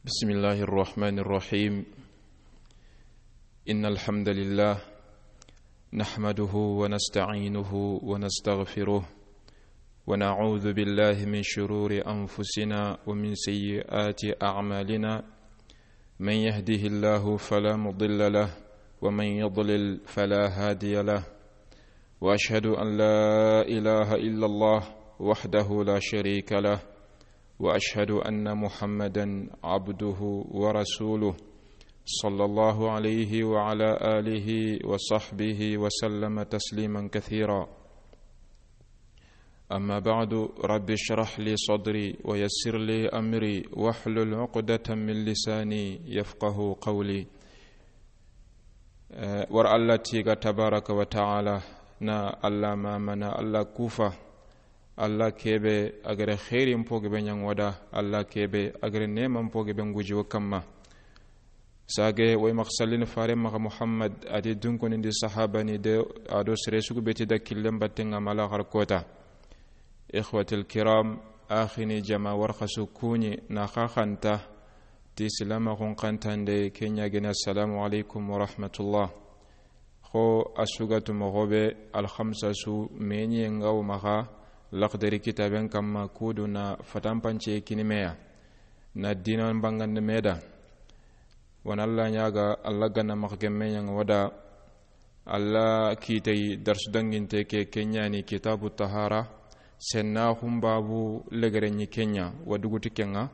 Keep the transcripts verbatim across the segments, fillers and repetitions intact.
بسم الله الرحمن الرحيم. إن الحمد لله نحمده ونستعينه ونستغفره، ونعوذ بالله من شرور أنفسنا ومن سيئات أعمالنا. من يهده الله فلا مضل له، ومن يضلل فلا هادي له. وأشهد أن لا إله إلا الله وحده لا شريك له، وأشهد أن محمدا عبده ورسوله، صلى الله عليه وعلى آله وصحبه وسلم تسليما كثيرا. أما بعد، رب اشرح لي صدري ويسر لي أمري واحلل عقدة من لساني يفقه قولي. Eh, war Allah tiga tabaraka wa ta'ala, na Allah mamana, Allah kufa, Allah kebe agare khairin po gebe ɲangoda, Allah kebe agare neman po gebe nguji wo kamma. Sage way maxa sallini fare maxa Muhammad, adi dunkonindi sahabani de, ado sere sugu beti da killen battenga mala xar kota. Ikhwatil kiram, axini jama warxasu kuɲi na xaxanta ti silamaxun xantande ke ɲagene, assalamu alaikum wa rahmatullah. Xo a sugatu moxo be alxamsa su meɲiye nga wo maxa laxdari kitaben kamma, kudu na fatanpance kinimeya na dinan bangande meda. Wana Allah ɲaga, Allah ganna maxa gemme ɲanga wada. Allah kitay darsu danginte ke, ke ɲani kitabu tahara, senna xumbabu legere ɲi kenya wa duguti kenga.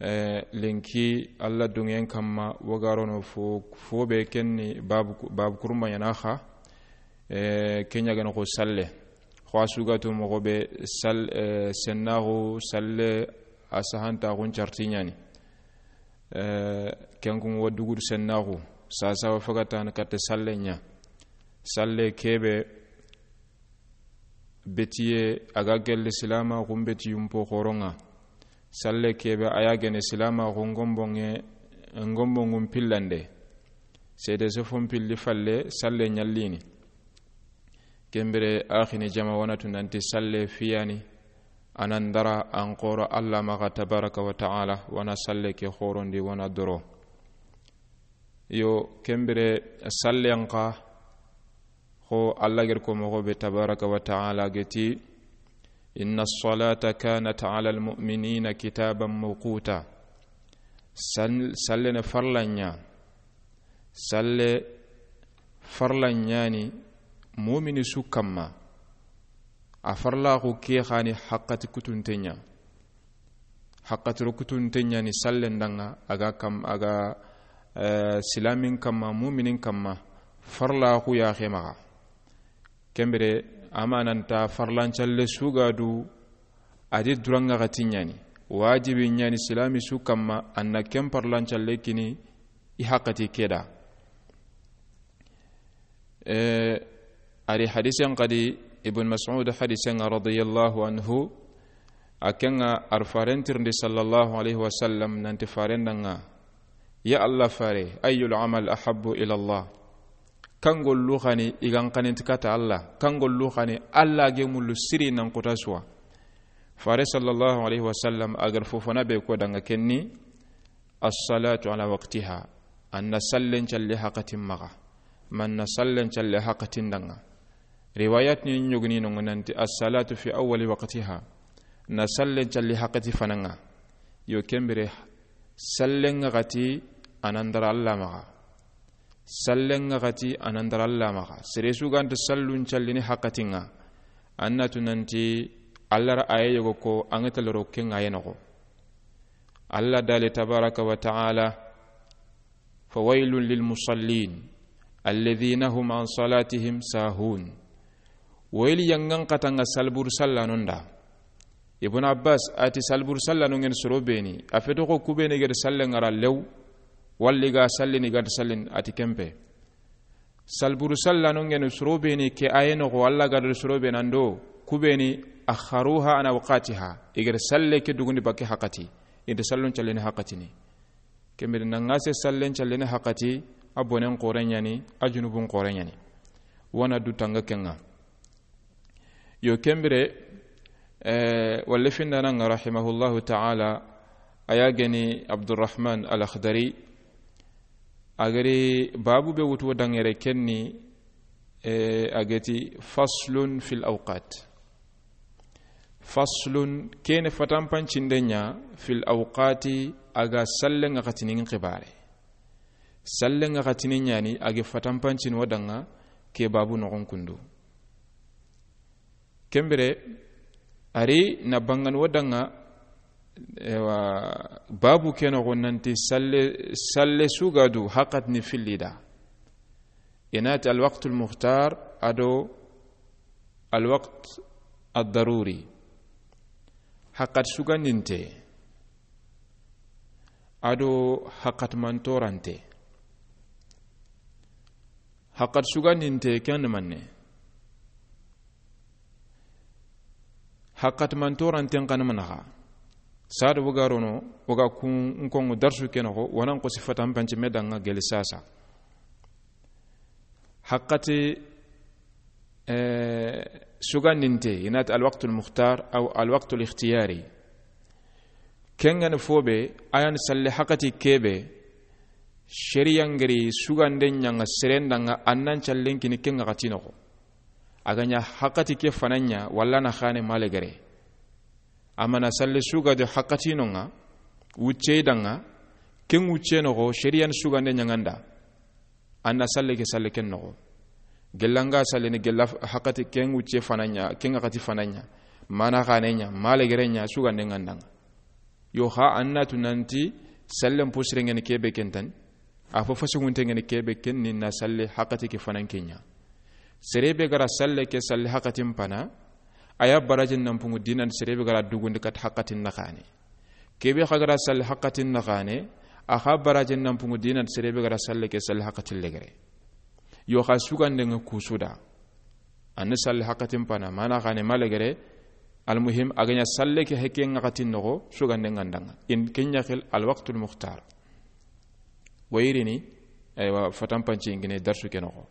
Eh, lenki Allah dungen kamma wagarono fo, fo be kenni babu, babu kurumba ɲana xa. Eh, kenya gana xo salle. Xo a sugatu moxo be sal-, eh, sennaxu salle a sahantaxun carti ɲani. Eh, kenkun wa dugudu sennaxu, sasa wa fagatana katte salle ɲa. Salle kebe betiye a ga gelle silamaxun betiyun po xoronga. Salle kebe a ya gene silamaxu ngombonge, ngombongun pillande. Sede sofon pilli falle salle ɲallini. Kembire axini jama wanatu nanti salle fiyani, anan dara an xoro Allah maxa tabaraka wa ta'ala, wana salle ke xorondi wana doro. Yo, kembire sallen xa, xo Allah gir ko moxo be tabaraka wa ta'ala geti, inna salata kanat ala almu'minina kitaban mawquta. Sal-, salle ne farlanya. Salle farlanyani mumini su kamma. A farlaxu ke xani haqqati kutunte ɲa. Haqqatiro kutunte ɲani sallen danga, a ga kam, a ga, eh, silamin kamma, muminin kamma, farlaxu ya xe maxa. Kembire, amananta farlancalle sugadu, adi duranga xati ɲani. Wajibi ɲani silami su kamma, anna ken farlancalle kini i haqqati keda. Eh, ari hadisen xadi, Ibn Mas'ud hadisen, radiyallahu anhu, a kenga ar faren tirindi sallallahu alaihi wasallam nanti faren danga, ya Allah fare, ayyul amal ahabbu ila Allah? Kangollu xani igan xaninti kata Allah? Kangollu xani Allah ge mullu siri nan kota suwa? Fare sallallahu alaihi wasallam agar fofona be ko danga kenni, as-salatu ala waqtiha. Anna sallen calle haqatin maxa. Manna sallen calle haqatin danga. Riwayat ni ɲogni no nanti as-salatu fi awwali waqtiha. Na sallen calle haqati fananga. Yo kembire sallen ngati anandara Allah maxa. Sallen ngati anandara Allah maxa. Sere su ganta sallun callini haqatinga. Annatu nanti Allah ra aye yogo ko angataloro kenga yenogo. Allah dali tabaraka wa ta'ala, fawailun lil musallin, alladhina hum an salatihim sahun. Wayli yangan katanga salbur sallanonda. Ibn Abbas ati salbur sallanon ngen soro beni. A feto ko kubeni gede sallen ngara lew. Walli ga sallini gad sallin ati kempe. Salburu sallano ngenu soro beni ke aye noxo, Allah gadal soro be nando, kubeni akharuha an awqatiha, igere salle ke dugundi bakke haqati, inde sallun calleni haqatini. Kembedi nangase sallen calleni haqati, a bonen xoren ɲani, a junubun xoren ɲani. Wana du tanga kenga. Yo kembire, eh, walle findananga rahimahullahu ta'ala, A ya geni Abdurrahman Al-Akhdari, a gari babu be wutu wo dangere kenni, e, a geti faslun fil awqat. Faslun kene fatanpancinde ɲa fil awqati a ga sallen ŋaxatinin xibare. Sallen ŋaxatinin ɲani a ge fatanpancin wo danga ke babu noxon kundu. Kembire, a ri na bangan wo danga, ewa, babu ke noxo nanti salle, salle sugadu haqat ni fillida. I na ti alwaqtul muxtar ado alwaqt addaruri. Haqat sugandinte ado haqat mantorante. Haqat sugandinte ken manne. Haqat mantoranten xana manaxa. Sado wogarono woga kun nkongo darsu kenoxo wanan ko sifatan pance me danga geli sasa. Haqati, eh, sugandinte, i na ti alwaqtul muxtar aw alwaqtul ikhtiyari. Kengani fobe ayan salle haqati kebe. Shariya ngari sugande ɲanga serendanga annan callen kini kenga xatinoxo. A ga ɲa haqati ke fananya walla na xane malegere. Amana salle sugade haqatinonga, wuccei danga, ken wucce noxo shariyan sugande ɲanganda. Anna salle ke salle ken noxo. Gellanga salle ni gella haqati ken wucce fananya, kenga xati fananya. Mana xane ɲa, malegere ɲa sugande ngandanga. Yo xa anna tu nanti sallen posirengeni kebe kentani. A fo fasigunte ngeni kebe kenni na salle haqati ke fanan kenya. Serebe gara salle ke salle haqatin pana. A ya barajin nan pungu dinan serebe gara dugundi kat haqatin naxane. Kebe xa gara salle haqatin naxane. A xa barajin nan pungu dinan serebe gara salle ke salle haqatin legere. Yo xa sugande nga kusuda. Anna salle haqatin pana mana xane malegere. Almuhim a ga ɲa salle ke heke nga xatin noxo sugande ngandanga in kenya xil alwaqtul muxtar. Wayirini, aywa, fatanpanci ngine darsu ke noxo.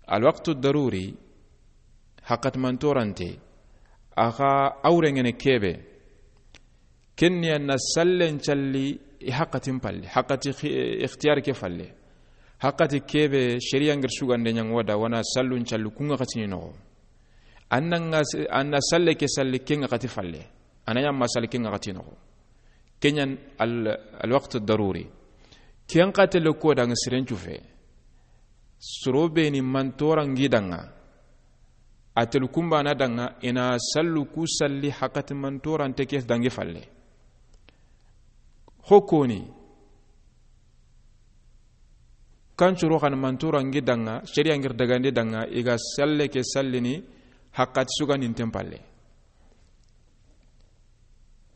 Alwaqtu daruri, haqat mantorante, a xa awrengene kebe, kenni anna sallen calli i haqatin palle, haqati xi-, ikhtiyar ke falle. Haqati kebe, shariya ngir sugande ɲangoda, wana sallun calli kunga xatini noxo. Anna nga s-, anna salle ke salli kenga xati falle. Ana ɲamma salli kenga xati noxo. Kenyan al, alwaqt daruri. Ken xatele ko danga sirencu fe. Soro be ni mantora ngi danga. Atel kumba na danga ina sallu ku salli haqati mantora nte ke dangi falle. Hokoni. Kan curo xan mantura ngi danga, sharia ngir dagande danga, i ga salle ke sallini haqat suganinten palle.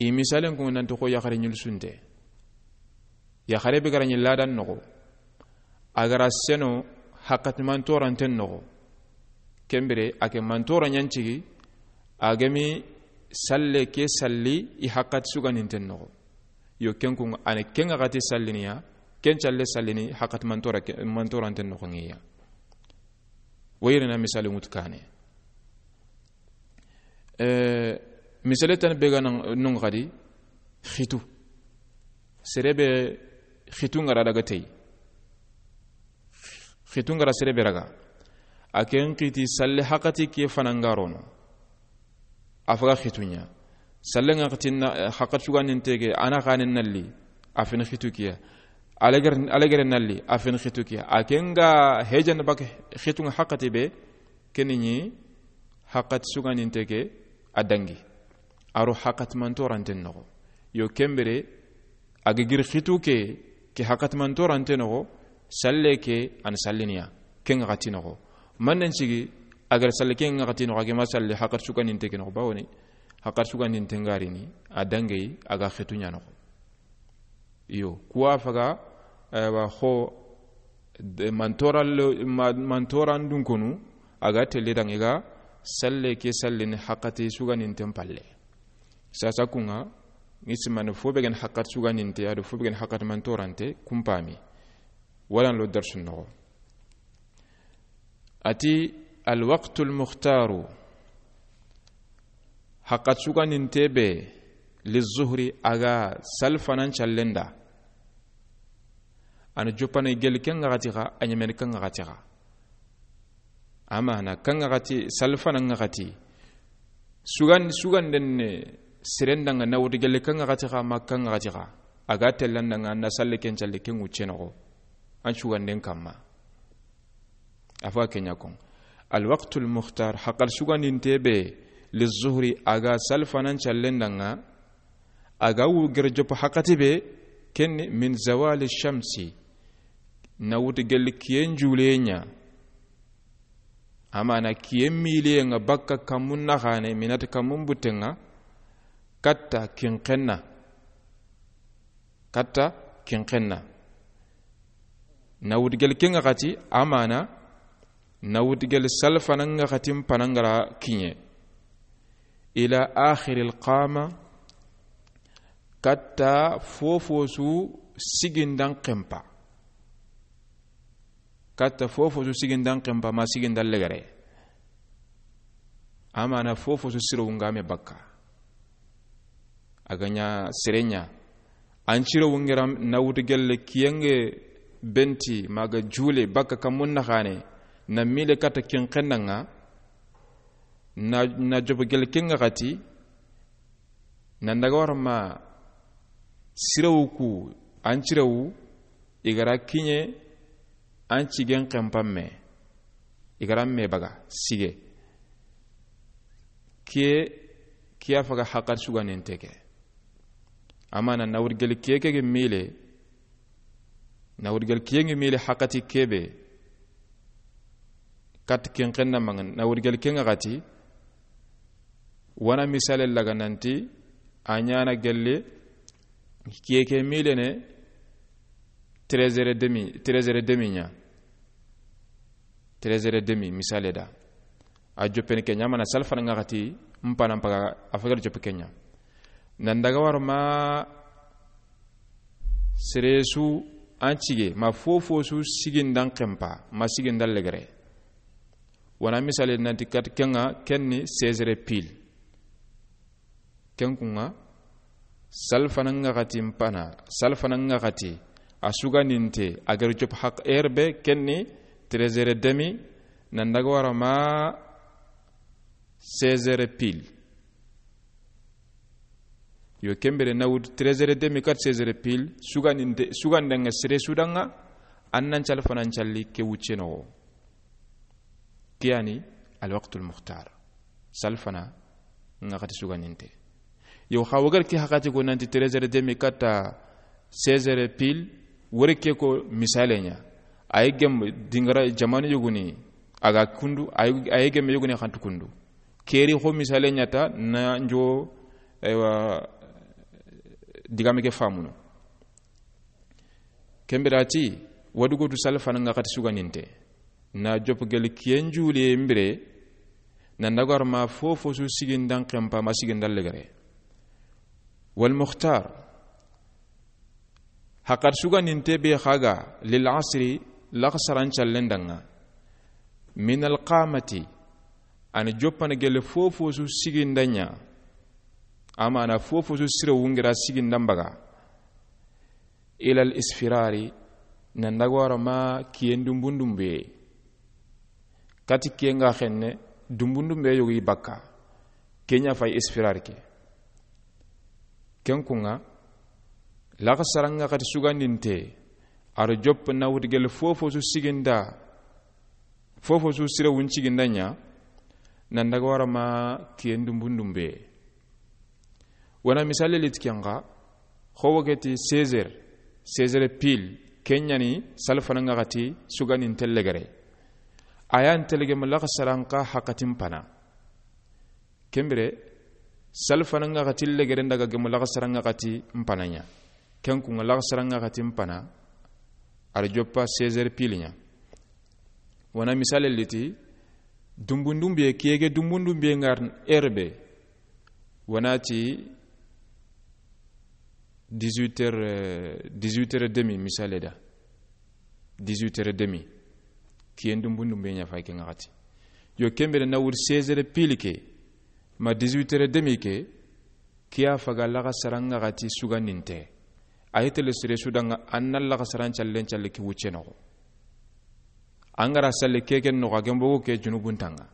I misalen ko nanti ko yaxare ɲul sunte. Yaxare be gara ɲi ladan noxo. A gara seno haqat mantoranten noxo. Kembire a ke mantora ɲancigi, a gemi salle ke salli i haqat suganinten noxo. Yo, ken kun, ane ken ga xati salliniya, ken calle sallini, haqat mantora ke, mantoranten noxo ngiya. Wayirina misali ŋutu kane. Eh, misale tan be ga nan, non xadi, xitu. Serebe xitu ngara daga tey. Xitu ngara serebe raga. A ken xiti salle haqati ke fanangarono. A faga xitunya. Salle nga xatinna, eh, haqat suganin tege, ana xanen nalli, a fen xitu kiya. Alegere, alegere nalli, a fen xitu kiya. A ken ga hejan bak xitu nga haqati be, keni ni haqat suganin tege a dangi. Aro haqat mantoranten noxo. Yo kembere, a ga giri xitu ke, ke haqat mantorante noxo, salle ke an salliniya, ke nga xati noxo. Mannen sigi, a gara salle ke nga xati noxo, a gema salle haqat suganinte ke noxo, bawoni, haqat suganinte ngarini, a dangei, a ga xitu ɲa noxo. Iyo, kuwa faga, eh, wa xo, de, mantoral, ma, mantoran dunkonu, a ga telle dangi ga, salle ke sallini haqati suganinten palle. Sasa kunga, ngi simane fo be gen haqat suganinte, ado fo be gen haqat mantorante, kumpami. Walan lo darsu noxo. Ati, alwaqtul mukhtaru, haqat suganinte be, Lizuhri, a ga salfanan callen da. A na joppana gelli ken ŋaxati xa, a ɲemeni ken ŋaxati xa. A ma na ken ŋaxati, salfanan ŋaxati. Sugan-, suganden ne seren da ŋa na wutu gelli ken ŋaxati xa, ma ken ŋaxati xa. A ga tellan da ŋa na salli ken calli ken wucce noxo. An suganden kamma. A fa ke ɲa kon. Alwaqtul mukhtar, haqal sugandinte be, lizuhri, a ga salfanan callen da ŋa, a ga wu gere joppa haqati be, ken ni min zawali shamsi, na wutu gelli kiyen juleɲa. A ma na kiyen miliye ŋa bakka kammun naxane, minati kammun butte ŋa, katta kinxenna. Katta kinxenna. Na wutu gelli ken ŋaxati, a ma na, na wutu gelli salfanan ŋaxatin pana ŋa ra kiɲe. Ila akhiril qama, katta fofosu sigindan xempa. Katta fofosu sigindan xempa ma sigindan legere. A ma na fofosu siro wungame bakka. A ga ɲa sereɲa. An ciro wungeram na wutu gelli kiyen ŋa benti ma ga jule bakka kammun naxane. Na mile katta kinxenna ŋa. Na, na jopo gelli ken ŋaxati. Nan daga wara ma sirewu ku, an cirewu, i ga ra kiɲe, an cigen xenpan me, i ga ra me baga, sige. Kiye, kiya faga haqati sugandinte ke. A ma na na wutu gelli kiye ke ge mile, na wutu gelli kiyen ŋa mile haqati ke be, kat ken xenna maŋa, na wutu gelli ken ŋaxati, wana misale laga nanti, a ɲa na gelli, kiye ke mile ne, treize heures et demi, treize heures et demi ɲa. Treize heures et demi, misale da. A joppene ke ɲa, a ma na salfanan ŋaxati, mpana mpaga, a fagar joppe ke ɲa. Nan daga wara ma seresu an cige, ma fofosu sigindan xempa, ma sigindan legere. Wana misale nanti kat ken ŋa, ken ni seize heures pile. Ken kun ŋa, salfanan ŋaxati mpana, salfanan ŋaxati, a sugandinte, a gari cop haq heure be, ken ni treize heures et demi, nan daga wara ma seize heures pile. Yo, ken bire na wutu treize heures et demi, kat seize heures pile, sugandinte, suganden ŋa sere su da ŋa, an nan salfanan calli ke wucce noxo. Kiyani alwaqtul mukhtar. Salfana ŋaxati sugandinte. Yo, xa wo gari ke haqati ko nanti treize heures et demi katta seize heures pile, wori ke ko misale ɲa. Ay gem dingara jamanu yoguni, a ga kundu, ay, ay gem yoguni xantu kundu. Keri xo misale ɲa ta na njo, aywa, digame ke famuno. Ken bire a ti, wa dugutu salfanan ŋaxati sugandinte. Na jopo geli kiyen jule mbire, nan daga wara ma fofosu sigindan xempa ma sigindan legere. Wal mukhtar, haqati sugandinte be xa ga, lil asri, laxasaran callen da ŋa. Min al qamati, a na joppana geli fofosu sigindan ɲa. A ma na fofosu sire wungira sigindan baga. Ilal isfirari, nan daga wara ma kiyen dumbundumbe. Kati kiyen ga xenne, dumbundumbe yogo i bakka. Ken ɲa fay isfirar ke. Ken kun ŋa, laxasaran ŋaxati sugandinte, a ro jopp na wutu geli fofosu siginda, fofosu sire wun siginda ɲa, nan daga wara ma kiyen dumbundumbe. Wana misale liti ken ŋa, xo wo geti seize heures, seize heures pile, ken ɲa ni salfanan ŋaxati sugandinte legere. A ya nte legemu laxasaran xa haqatin pana. Ken bire, salfanan ŋaxati legere ndaga gemu laxasaran ŋaxati mpana ɲa. Ken kun ŋa laxasaran ŋaxati mpana, a ro joppa seize heures pile ɲa. Wana misale liti, dumbundumbe, kiyege dumbundumbe ŋa heure be. Wana ti dix-huit heures, euh, dix-huit heures et demi misale da. Dix-huit heures et demi. Kiyen dumbundumbe ɲa fay ke ŋaxati. Yo, ken bire na wuri seize heures pile ke, ma dix-huit heures et demi ke, Ke ya faga laxasaran ŋaxati sugandinte. A yi tele sere su da ŋa, an na laxasaran callen calle ke wucce noxo. An ga ra salle ke ken noxo, a gembogo ke junubun ta ŋa.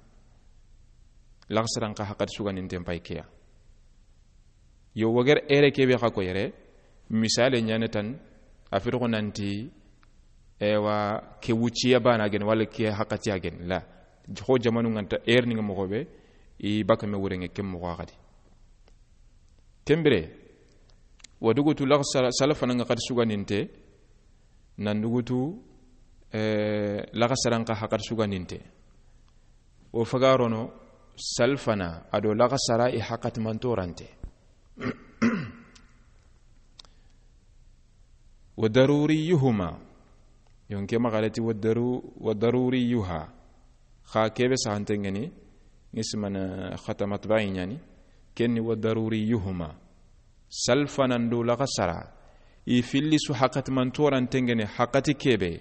Laxasaran xa haxati sugandinten pay ke ya. Yo, wagere ere ke be xa ko yere, misale ɲaane tan, a fetoxo nanti, ewa, ke wucciya bana gen, wala ke haxatiya gen, la. Xo jamanu ŋa nta, ere ni ŋa moxo be, i baka me wure ŋa ken moxo xadi. Ken bire, wa dugutu laxasara, salfana ŋaxati sugandinte, nan dugutu, eh, laxasaran xa haxati sugandinte. O fagarono, salfana, a do laxasara i haxati mantorante. Wa daruriyuhuma. Yonke maxalati wa daru-, wa daruriyuha. Xa kebe saxante ŋeni, nismana xatamat bayi ɲani, kenni wa daruriyuhuma. Salfanan do laxasara, i filli su haxati mantorante ŋeni haxati kebe.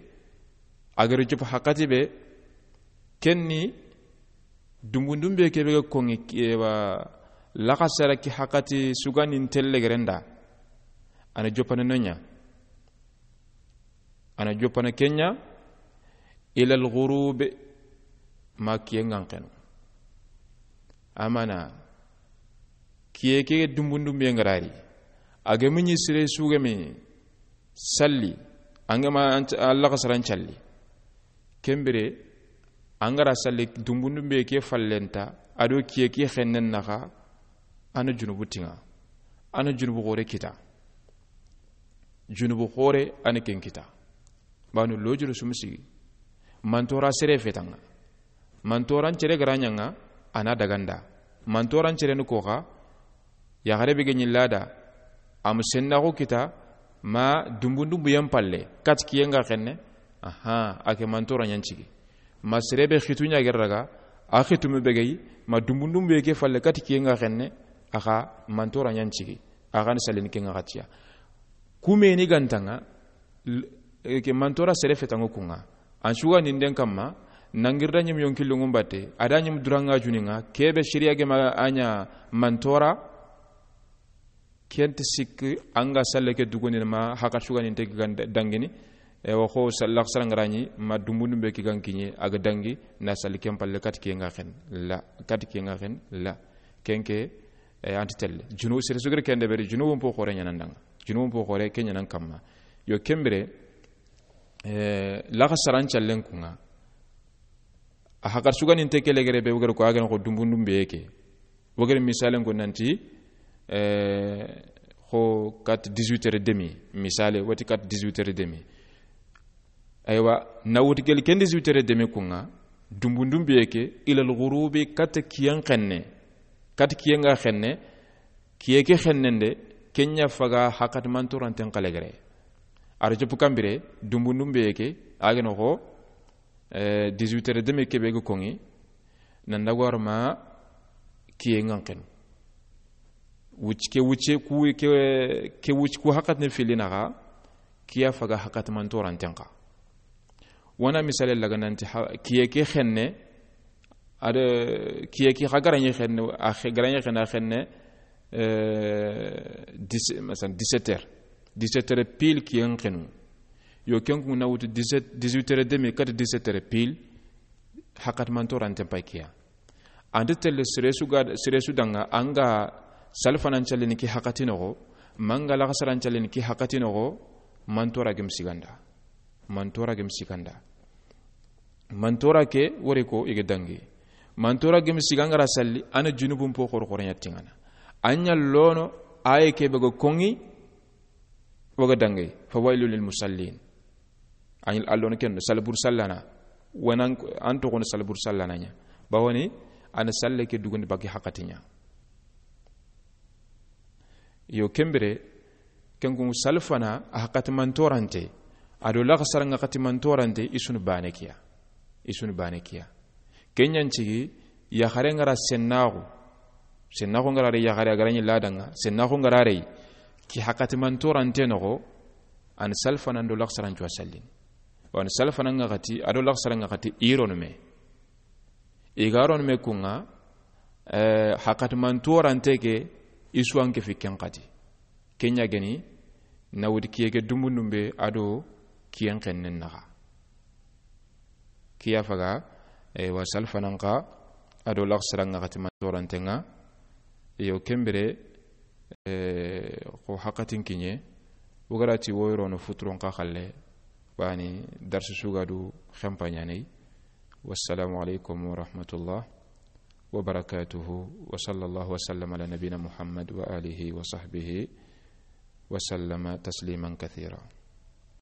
A gari jupu haxati be, kenni dumbundumbe kebe ga koŋi, ewa, laxasara ki haxati sugandinte legerenda. Ana jopana nonya. Ana jopana kenya ilal ghurub ma kiye ŋa xenu. Amana kiye ke dumbundumbe ŋa ra ri. A ga mini sere su ga mi salli, an ga ma an, an laxasaran calli. Ken bire, an ga ra salli dumbundumbe ke fallenta, a do kiye ke xennen naxa, ana junubu tiŋa, ana junubu xore kita. Junubu xore, ana ken kita. Banu lojuru sumsi. Mantora sere fetaŋa. Mantoran cere ga ra ɲaŋa, ana daganda. Mantoran cere ni koxa, yaxare be ga ɲi lada, am sennaxu kita, ma dumbundumbu yan palle, kat kiye ŋa xenne, aha, a ke mantora ɲancigi. Ma sere be xitu ɲa gere daga, a xitu me be ga yi, ma dumbundumbu ye ke falle, kat kiye ŋa xenne, axa mantora ɲancigi. Axa ni salini ke ŋa xatiya. Kume ni gantaŋa, l-, e, ke mantora sere fetaŋo kuŋa. An suga ninden kamma, nangirda ɲim yonki lungun batte, a da ɲim duranga juniŋa, kebe shiriya gema a ɲa mantora, kent sik an ga salle ke duguni ma haka suga ninte ki gan dangini, e, wa xo sallak sarangarani, ma dumbundumbe ki gan kiɲe, a ga dangi, na salli ken palle kat kiye ŋa xen, la, kat kiye ŋa xen, la. Kenke, e, anti telle. Junu, sere sugir kende beri, junubun po xore ɲanan danga. Junubun po xore ke ɲanan kamma. Yo ken bire, eh, laxa saran callen kuŋa. A hakar suganinte ke legere be wogere ko a gana xo dumbundumbe ke. Wogere misalen ko nanti, eh, xo kat dix-huit heures et demi, misale, wati kat dix-huit heures et demi. Aywa, na wuti gel ken dix-huit heures et demi kuŋa, dumbundumbe ke, ilal ghurubi, kat kiyen xenne, kat kiyen ŋa xenne, kiye ke xennende, kenya faga hakat mantoranten xalegere. Ar jopu kambire, dumbundumbe ke, a gana xo, eh, dix-huit heures et demi kebe ga koŋi, nan daga war ma kiye ŋa xenu. Wuc-, ke wucce, ku, ke, ke wuc-, ku hakat ne fili naxa, kiya faga hakat mantoranten xa. Wana misale laga nanti ha-, kiye ke xenne, ade kiye ke xa garanye xenne, a xe-, garanye xenne, a xenne, eh, dix, masalan, dix-sept heures. Dix-sept heures pile kiyen xenu. Yo ken ku na wutu dix-sept, dix-huit heures et demi, kata dix-sept heures pile, hakat mantoranten pay kiya. Ante telle sere su ga, sere su danga, anga salfanan callini ki hakati noxo, manga laxasaran callini ki hakati noxo, mantora gem siganda. Mantora gem siganda. Mantora ke wori ko i ga dangi. Mantora gem sigangara salli, ana junubun po xoro xoro ɲattingana. Anya lono, aye ke be ga koŋi, wo ga dangi. Fa wailu lil musallin. An, allon ken, salbur sallana. Wanan, an toxono salbur sallana ɲa. Bawani, an salle ke dugundi bagi hakati ɲa. Yo ken bire, ken kun salfana, a hakati mantorante. A do laxasaranga hakati mantorante, i sunu bane kiya. I sunu bane kiya. Kenyan cigi, yaxare ngara sennaxu. Sennaxu ngara re yaxare a garani ladanga. Sennaxu ngara re, ki hakati mantorante noxo, an salfanan do laxasaran cuwa sallin. Wan salfanan ŋa xati, a do laxasaran ŋa xati, i ronu me. I ga ronu me kuŋa, eh, hakat mantorante ke, I su an ke fi ken xati. Ken ɲa geni na wuti kiye ke dumbundumbe a do kiyen xennen naxa. Kiya faga, e, wa salfanan xa a do laxsaran ŋa xati mantoranten ŋa. Iyo, ken bire, e, xo haqatin kiɲe, wo ga ra ti woyrono futuron xa xalle, bani darsu sugadu xempaɲanei. Wassalamu alaikum warahmatullah wabarakatuhu. Wa sallallahu wasallam ala nabina Muhammad wa alihi wa sahbihi wa sallama tasliman kathira.